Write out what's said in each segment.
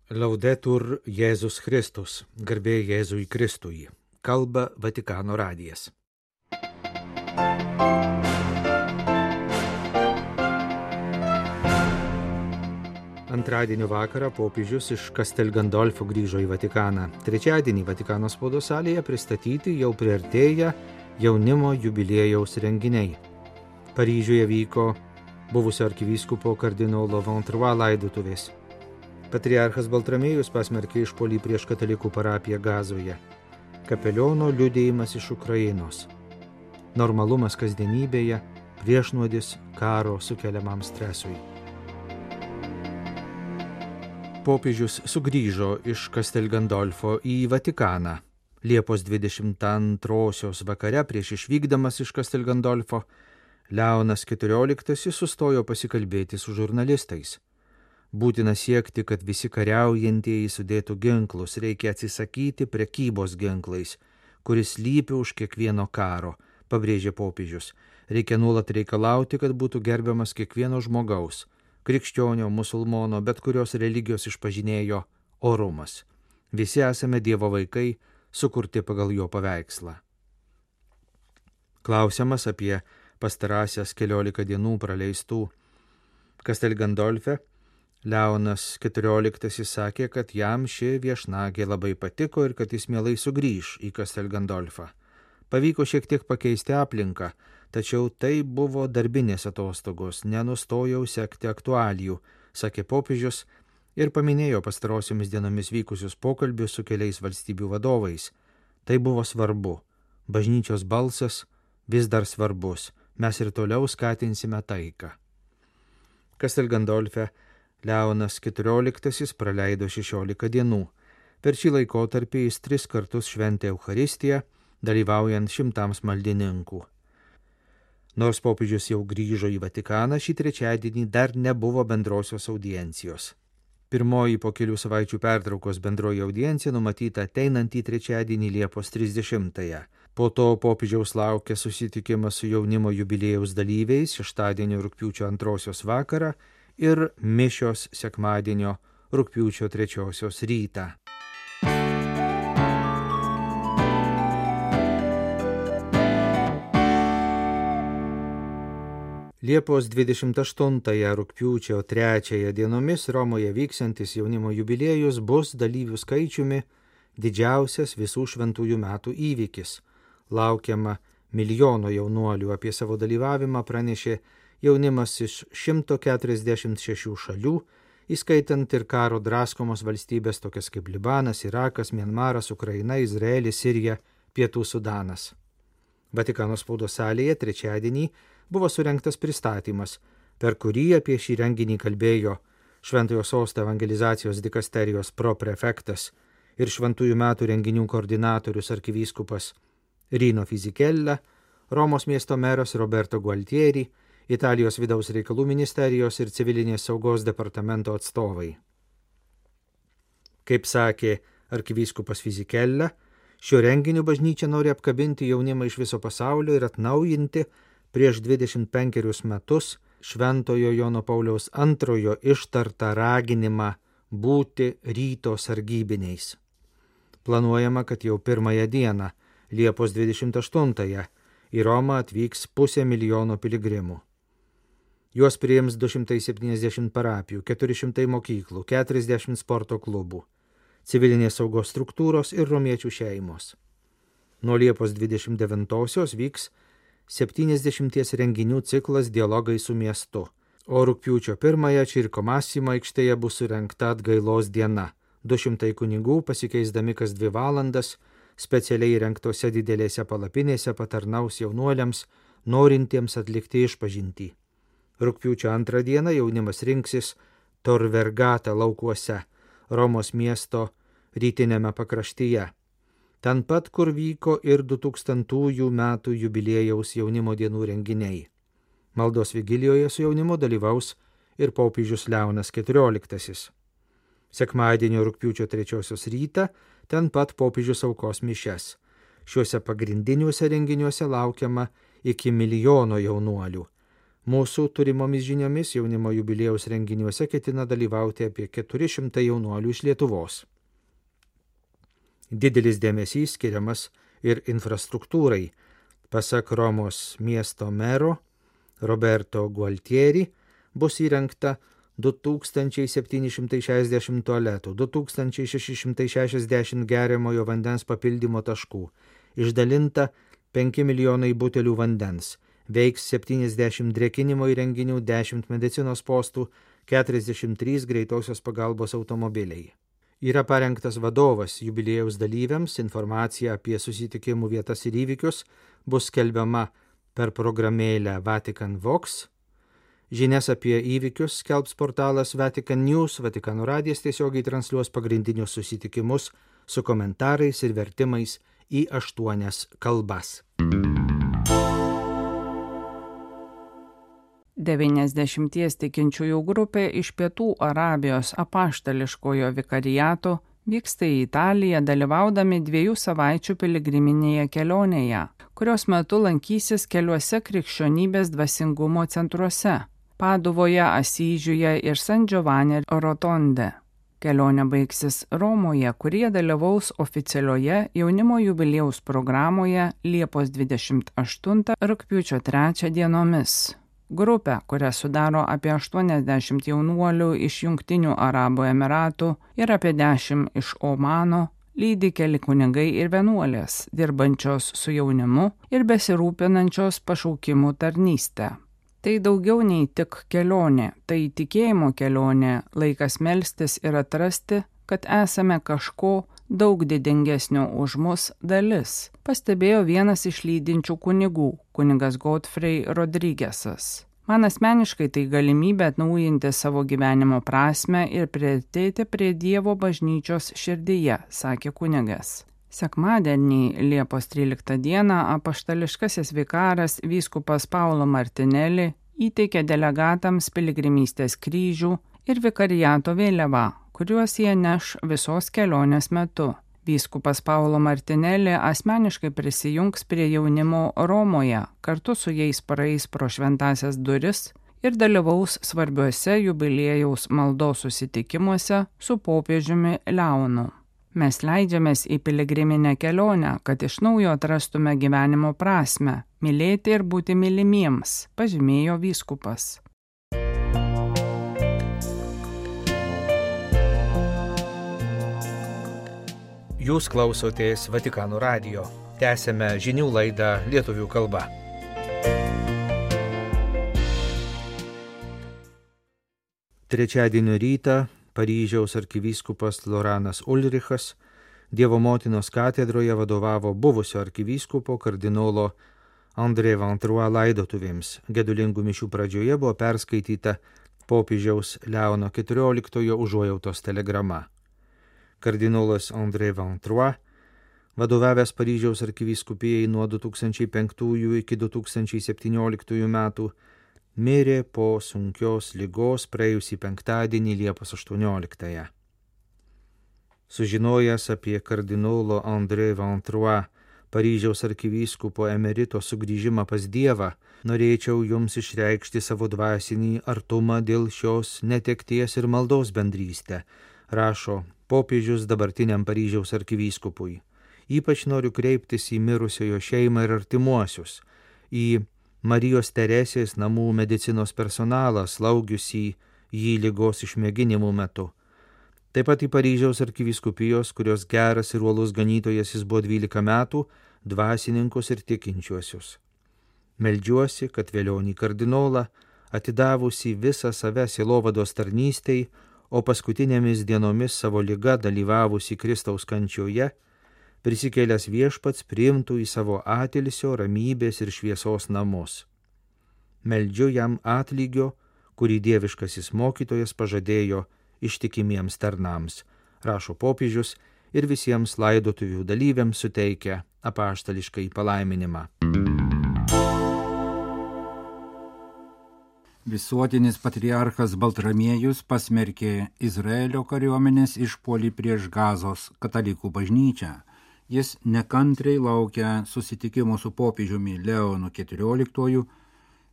Laudetur Jėzus Kristus, garbė Jėzui Kristui, kalba Vatikano radijas. Antradienio vakarą popiežius iš Castel Gandolfo grįžo į Vatikaną. Trečiadienį Vatikano spaudos salėje pristatyti jau priartėję jaunimo jubiliejaus renginiai. Paryžiuje vyko buvusio arkivyskupo kardinolo Ventrois laidotuvės. Patriarchas Baltramiejus pasmerkė išpuolį prieš katalikų parapiją Gazoje. Kapeliono liudėjimas iš Ukrainos. Normalumas kasdienybėje, priešnuodis karo sukeliamam stresui. Popiežius sugrįžo iš Castel Gandolfo į Vatikaną. Liepos 22 vakare prieš išvykdamas iš Castel Gandolfo, Leonas XIV sustojo pasikalbėti su žurnalistais. Būtina siekti, kad visi kariaujantieji sudėtų ginklus, reikia atsisakyti prekybos ginklais, kuris slypi už kiekvieno karo, pabrėžė popiežius. Reikia nuolat reikalauti, kad būtų gerbiamas kiekvieno žmogaus, krikščionio, musulmono, bet kurios religijos išpažinėjo orumas. Visi esame Dievo vaikai, sukurti pagal jo paveikslą. Klausiamas apie pastarąsias 14 dienų praleistų Castel Gandolfe, Leonas XIV sakė, kad jam ši viešnagė labai patiko ir kad jis mielai sugrįž į Castel Gandolfą. Pavyko šiek tiek pakeisti aplinką, tačiau tai buvo darbinės atostogos, nenustojau sekti aktualijų, sakė popiežius ir paminėjo pastarosiomis dienomis vykusius pokalbius su keliais valstybių vadovais. Tai buvo svarbu. Bažnyčios balsas vis dar svarbus. Mes ir toliau skatinsime taiką. Castel Gandolfe Leonas XIV praleido 16 dienų. Per šį laikotarpį jis 3 kartus šventė Eucharistiją, dalyvaujant 100 maldininkų. Nors popiežius jau grįžo į Vatikaną, šį trečiadienį dar nebuvo bendrosios audiencijos. Pirmoji po kelių savaičių pertraukos bendroji audiencija numatyta ateinantį trečiadienį Liepos 30-ąją. Po to popiežiaus laukia susitikimas su jaunimo jubiliejaus dalyviais šeštadienio rugpjūčio 2 vakarą ir mišios sekmadienio rugpjūčio 3 rytą. Liepos 28 rugpjūčio 3 dienomis Romoje vyksiantis jaunimo jubiliejus bus dalyvių skaičiumi didžiausias visų šventųjų metų įvykis. Laukiama milijono jaunuolių. Apie savo dalyvavimą pranešė jaunimas iš 146 šalių, įskaitant ir karo draskomos valstybės tokias kaip Libanas, Irakas, Mianmaras, Ukraina, Izraelis, Sirija, Pietų Sudanas. Vatikano spaudos salėje trečiadienį buvo surengtas pristatymas, per kurį apie šį renginį kalbėjo Šventojo Sosto evangelizacijos dikasterijos proprefektas ir šventųjų metų renginių koordinatorius arkivyskupas Rino Fisichella, Romos miesto meras Roberto Gualtieri, Italijos vidaus reikalų ministerijos ir civilinės saugos departamento atstovai. Kaip sakė arkivyskupas Fisichella, šio renginiu bažnyčia nori apkabinti jaunimą iš viso pasaulio ir atnaujinti prieš 25 metus Šventojo Jono Pauliaus II ištartą raginimą būti ryto sargybiniais. Planuojama, kad jau 1 dieną, Liepos 28-ąją, į Romą atvyks 500 000 piligrimų. Juos priims 270 parapijų, 400 mokyklų, 40 sporto klubų, civilinės saugos struktūros ir romiečių šeimos. Nuo Liepos 29-osios vyks 70 renginių ciklas Dialogai su miestu, o rugpjūčio 1-ąją Circo Massimo aikštėje bus surengta atgailos diena. 200 kunigų pasikeisdami kas 2 valandas specialiai rengtose didelėse palapinėse patarnaus jaunuoliams, norintiems atlikti išpažintį. Rugpjūčio 2 dieną jaunimas rinksis Tor Vergata laukuose, Romos miesto rytinėme pakraštyje. Ten pat, kur vyko ir 2000 metų jubiliejaus jaunimo dienų renginiai. Maldos vigilijoje su jaunimu dalyvaus ir popiežius Leonas XIV. Sekmadienio rugpjūčio 3 rytą ten pat popiežius aukos mišias. Šiuose pagrindiniuose renginiuose laukiama iki milijono jaunuolių. Mūsų turimomis žiniomis jaunimo jubiliejaus renginiuose ketina dalyvauti apie 400 jaunuolių iš Lietuvos. Didelis dėmesys skiriamas ir infrastruktūrai. Pasak Romos miesto mero Roberto Gualtieri bus įrengta 2760 tualetų, 2660 geriamojo vandens papildymo taškų, išdalinta 5 milijonai butelių vandens, veiks 70 drėkinimo įrenginių, 10 medicinos postų, 43 greitosios pagalbos automobiliai. Yra parengtas vadovas jubiliejaus dalyviams, informacija apie susitikimų vietas ir įvykius bus skelbiama per programėlę Vatican Vox. Žinias apie įvykius skelbs portalas Vatican News, Vatikano radijas tiesiogiai transliuos pagrindinius susitikimus su komentarais ir vertimais į 8 kalbas. 90 tikinčiųjų grupė iš Pietų Arabijos apaštališkojo vikariato vyksta į Italiją dalyvaudami 2 savaičių piligriminėje kelionėje, kurios metu lankysis keliuose krikščionybės dvasingumo centruose – Paduvoje, Asyžiuje ir San Giovanni Rotonde. Kelionė baigsis Romoje, kurie dalyvaus oficialioje jaunimo jubiliejaus programoje Liepos 28 rugpjūčio 3 dienomis. Grupę, kurią sudaro apie 80 jaunuolių iš Jungtinių Arabų Emiratų ir apie 10 iš Omano, lydi keli kunigai ir vienuolės, dirbančios su jaunimu ir besirūpinančios pašaukimų tarnystę. Tai daugiau nei tik kelionė, tai tikėjimo kelionė, laikas melstis ir atrasti, kad esame kažko daug didingesnio už mus dalis, pastebėjo vienas iš lydinčių kunigų, kunigas Godfrey Rodriguezas. Man asmeniškai tai galimybė atnaujinti savo gyvenimo prasmę ir priartėti prie Dievo bažnyčios širdyje, sakė kunigas. Sekmadienį, Liepos 13 dieną, apaštališkasis vikaras vyskupas Paulo Martinelli įteikė delegatams piligrimystės kryžių ir vikariato vėliavą, kuriuos jie neš visos kelionės metu. Vyskupas Paulo Martinelli asmeniškai prisijungs prie jaunimo Romoje, kartu su jais praeis pro šventąsias duris ir dalyvaus svarbiuose jubiliejaus maldos susitikimuose su popiežiumi Leonu. Mes leidžiamės į piligriminę kelionę, kad iš naujo atrastume gyvenimo prasmę, mylėti ir būti mylimiems, pažymėjo vyskupas. Jūs klausotės Vatikano radijo. Tęsėme žinių laidą lietuvių kalba. Trečiadienio rytą Paryžiaus arkivyskupas Loranas Ulrichas Dievo motinos katedroje vadovavo buvusio arkivyskupo kardinolo André Vantrua laidotuvėms. Gedulingų mišių pradžioje buvo perskaityta popiežiaus Leono XIV užuojautos telegrama. Kardinolas André Vantrua, vadovavęs Paryžiaus arkivyskupijai nuo 2005 iki 2017 metų, mirė po sunkios ligos praėjusį penktadienį Liepos 18. Sužinojęs apie kardinolo André Vantrua, Paryžiaus arkivyskupo emerito sugrįžimą pas Dievą, norėčiau jums išreikšti savo dvasinį artumą dėl šios netekties ir maldos bendrystę, rašo popiežius dabartiniam Paryžiaus arkivyskupui. Ypač noriu kreiptis į mirusiojo šeimą ir artimuosius, į Marijos Teresės namų medicinos personalą, slaugiusį jį ligos išmėginimų metu. Taip pat į Paryžiaus arkivyskupijos, kurios geras ir uolus ganytojas jis buvo 12 metų, dvasininkus ir tikinčiuosius. Meldžiuosi, kad velionį kardinolą, atidavusi visą save sielovados tarnystei, o paskutinėmis dienomis savo liga dalyvavusi Kristaus kančioje, prisikėlęs viešpats priimtų į savo atilsio, ramybės ir šviesos namus. Meldžiu jam atlygio, kurį dieviškasis mokytojas pažadėjo ištikimiems tarnams, rašo popiežius ir visiems laidotuvių dalyviams suteikia apaštališkai palaiminimą. Visuotinis patriarchas Baltramiejus pasmerkė Izraelio kariuomenės išpuolį prieš Gazos katalikų bažnyčią. Jis nekantriai laukia susitikimo su popiežiumi Leonu XIV,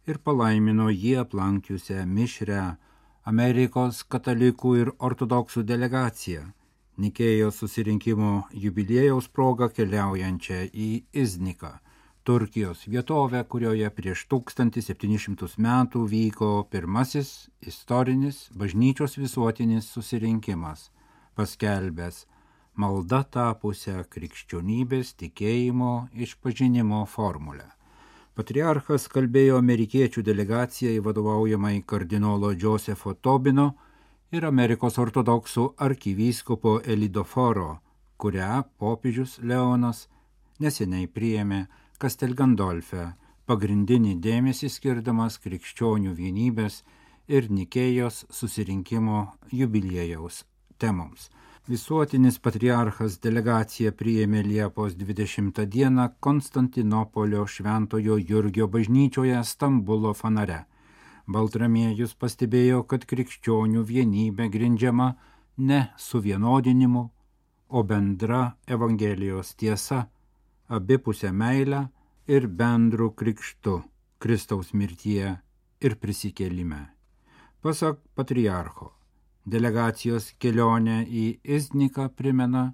ir palaimino jį aplankiusią mišrią Amerikos katalikų ir ortodoksų delegaciją, Nikėjos susirinkimo jubiliejaus proga keliaujančią į Izniką, Turkijos vietovę, kurioje prieš 1700 metų vyko pirmasis istorinis bažnyčios visuotinis susirinkimas, paskelbęs malda tapusią krikščionybės tikėjimo išpažinimo formulę. Patriarchas kalbėjo amerikiečių delegacijai vadovaujamai kardinolo Josepho Tobino ir Amerikos ortodoksų arkivyskupo Elidoforo, kurią popiežius Leonas neseniai priėmė Castel Gandolfe, pagrindinį dėmesį skirdamas krikščionių vienybės ir Nikėjos susirinkimo jubiliejaus temoms. Visuotinis patriarchas delegaciją priėmė Liepos 20 dieną Konstantinopolio Šventojo Jurgio bažnyčioje Stambulo Fanare. Baltramiejus pastebėjo, kad krikščionių vienybė grindžiama ne suvienodinimu, o bendra Evangelijos tiesa, abipusę meilę ir bendru krikštu Kristaus mirtyje ir prisikėlime. Pasak patriarcho, delegacijos kelionė į Izniką primena,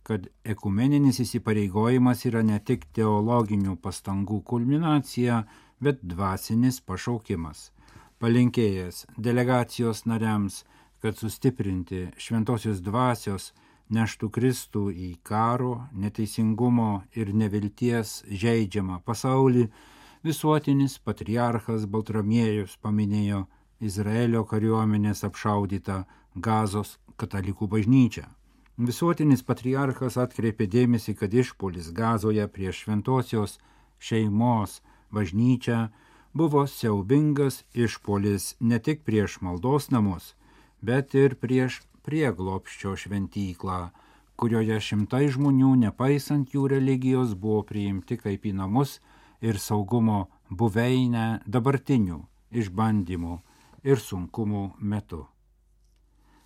kad ekumeninis įsipareigojimas yra ne tik teologinių pastangų kulminacija, bet dvasinis pašaukimas. Palinkėjęs delegacijos nariams, kad sustiprinti šventosios dvasios neštų Kristų į karo, neteisingumo ir nevilties žeidžiamą pasaulį, visuotinis patriarchas Baltramiejus paminėjo Izraelio kariuomenės apšaudytą Gazos katalikų bažnyčią. Visuotinis patriarchas atkreipė dėmesį, kad išpuolis Gazoje prieš šventosios šeimos bažnyčią buvo siaubingas išpuolis ne tik prieš maldos namus, bet ir prieš prieglobsčio šventyklą, kurioje šimtai žmonių, nepaisant jų religijos, buvo priimti kaip į namus ir saugumo buveinę dabartinių išbandymų ir sunkumų metu.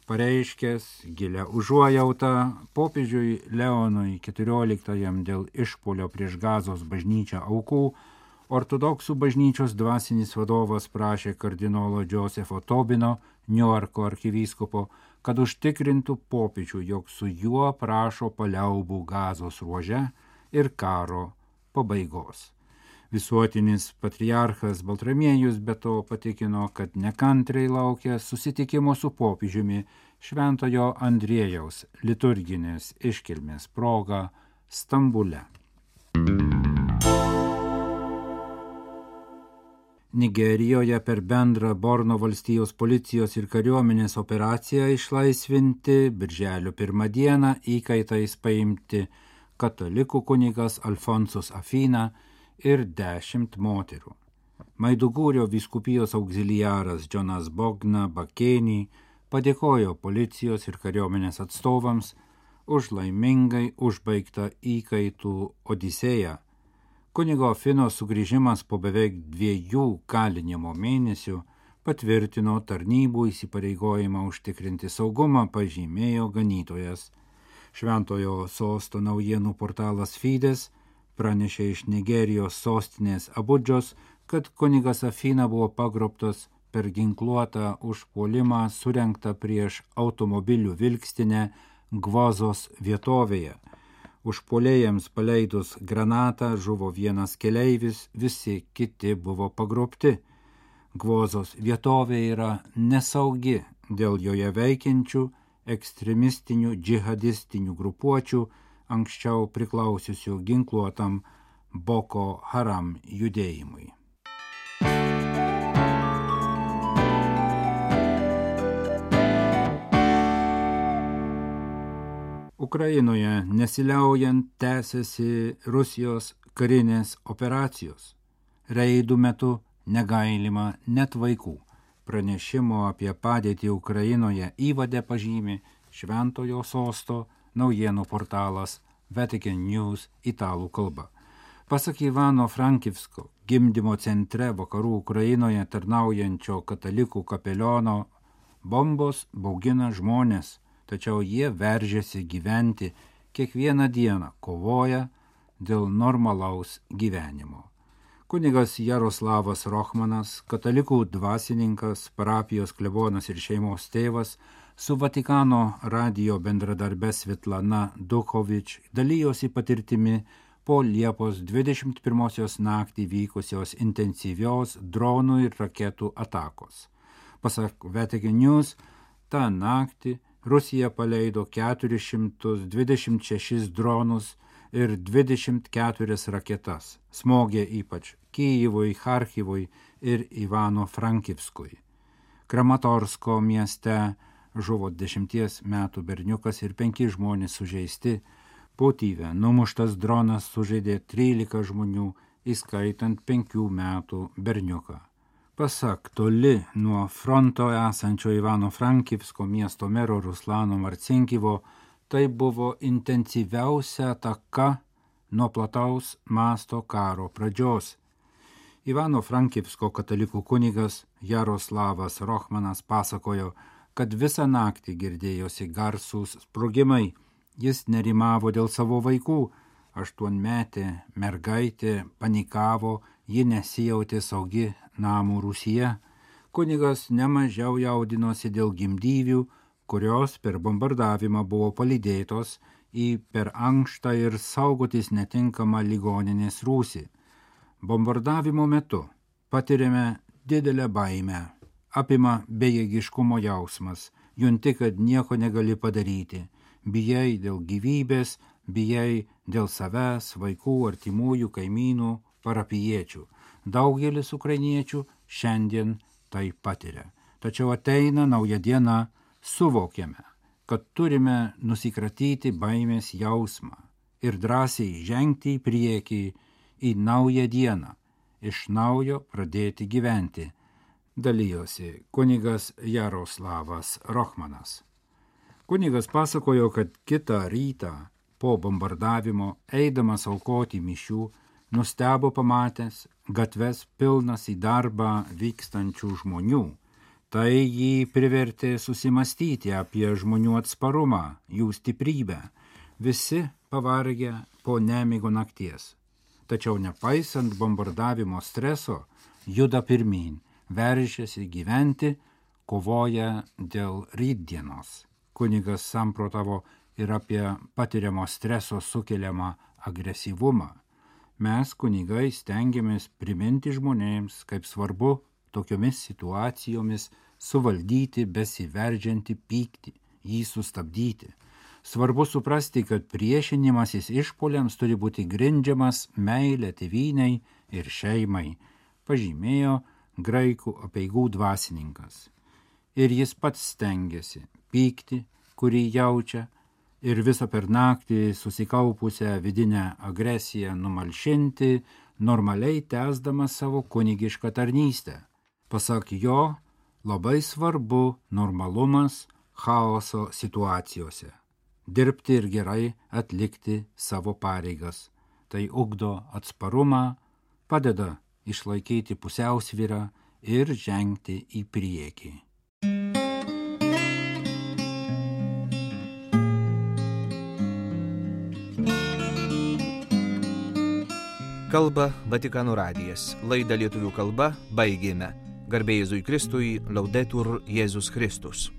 Pareiškęs gilią užuojautą popiežiui Leonui XIV dėl išpuolio prieš Gazos bažnyčią aukų, ortodoksų bažnyčios dvasinis vadovas prašė kardinolo Josepho Tobino, Niujorko arkivyskupo, kad užtikrintų popiežių, jog su juo prašo paliaubų Gazos ruože ir karo pabaigos. Visuotinis patriarchas Baltramiejus be to patikino, kad nekantriai laukia susitikimo su popiežiumi Šventojo Andriejaus liturginės iškilmės proga Stambule. Nigerijoje per bendrą Borno valstijos policijos ir kariuomenės operaciją išlaisvinti birželio 1 dieną įkaitais paimti katalikų kunigas Alfonsus Afina ir 10 moterų. Maidugūrio vyskupijos auxiliaras Jonas Bogna Bakėnį padėkojo policijos ir kariuomenės atstovams už laimingai užbaigtą įkaitų odisėją. Kunigo Afino sugrįžimas po beveik 2 kalinimo mėnesių patvirtino tarnybų įsipareigojimą užtikrinti saugumą, pažymėjo ganytojas. Šventojo sosto naujienų portalas Fides pranešė iš Nigerijos sostinės Abudžos, kad kunigas Afina buvo pagrobtas per ginkluotą užpuolimą surengtą prieš automobilių vilkstinę Gvozos vietovėje. Užpuolėjams paleidus granatą žuvo vienas keleivis, visi kiti buvo pagrobti. Gvozos vietovė yra nesaugi dėl joje veikiančių ekstremistinių džihadistinių grupuočių, anksčiau priklausiusių ginkluotam Boko Haram judėjimui. Ukrainoje nesiliaujant tęsiasi Rusijos karinės operacijos. Reidų metu negailima net vaikų. Pranešimo apie padėtį Ukrainoje įvade pažymi Šventojo sosto naujienų portalas Vatican News italų kalba. Pasak Ivano Frankivsko, gimdymo centre vakarų Ukrainoje tarnaujančio katalikų kapeliono, bombos baugina žmonės, tačiau jie veržiasi gyventi kiekvieną dieną, kovoja dėl normalaus gyvenimo. Kunigas Jaroslavas Rochmanas, katalikų dvasininkas, parapijos klebonas ir šeimos tėvas, su Vatikano radijo bendradarbė Svetlana Duchovič dalijosi patirtimi po Liepos 21 naktį vykusios intensyvios dronų ir raketų atakos. Pasak Vatican News, tą naktį Rusija paleido 426 dronus ir 24 raketas, smogė ypač Kyjivui, Charkivui ir Ivano-Frankivskui. Kramatorsko mieste žuvo 10 metų berniukas ir 5 žmonės sužeisti. Putyve numuštas dronas sužeidė 13 žmonių, įskaitant 5 metų berniuką. Pasak toli nuo fronto esančio Ivano-Frankivsko miesto mero Ruslano Marcinkivo, tai buvo intensyviausia ataka nuo plataus masto karo pradžios. Ivano-Frankivsko katalikų kunigas Jaroslavas Rochmanas pasakojo, kad visą naktį girdėjosi garsūs sprogimai. Jis nerimavo dėl savo vaikų. 8-metė mergaitė panikavo, ji nesijautė saugi namų rūsyje. Kunigas nemažiau jaudinosi dėl gimdyvių, kurios per bombardavimą buvo palydėtos į per ankštą ir saugotis netinkamą ligoninės rūsį. Bombardavimo metu patiriame didelę baimę, apima bejėgiškumo jausmas, junti, kad nieko negali padaryti, bijai dėl gyvybės, bijai dėl savęs, vaikų, artimųjų, kaimynų, parapijiečių. Daugelis ukrainiečių šiandien tai patiria. Tačiau ateina nauja diena, suvokiame, kad turime nusikratyti baimės jausmą ir drąsiai žengti į priekį į naują dieną, iš naujo pradėti gyventi, dalijosi kunigas Jaroslavas Rochmanas. Kunigas pasakojo, kad kitą rytą po bombardavimo, eidamas aukoti mišių, nustebo pamatęs gatves pilnas į darbą vykstančių žmonių. Tai jį privertė susimastyti apie žmonių atsparumą, jų stiprybę. Visi pavargę po nemigo nakties. Tačiau nepaisant bombardavimo streso, juda pirmyn, veržiasi gyventi, kovoja dėl rytdienos. Kunigas samprotavo ir apie patiriamo streso sukeliamą agresyvumą. Mes, kunigai, stengiamės priminti žmonėms, kaip svarbu tokiomis situacijomis suvaldyti besiveržiantį pyktį, jį sustabdyti. Svarbu suprasti, kad priešinimasis išpuoliams turi būti grindžiamas meilė tėvynei ir šeimai, pažymėjo graikų apeigų dvasininkas. Ir jis pats stengiasi pyktį, kurį jaučia, ir visą per naktį susikaupusią vidinę agresiją numalšinti, normaliai tęsdamas savo kunigišką tarnystę. Pasak jo, labai svarbu normalumas chaoso situacijose. Dirbti ir gerai atlikti savo pareigas. Tai ugdo atsparumą, padeda išlaikyti pusiausvyrą ir žengti į priekį. Kalba Vatikano radijas. Laidą lietuvių kalba baigėme. Garbė Jėzui Kristui, Laudetur Jėzus Kristus.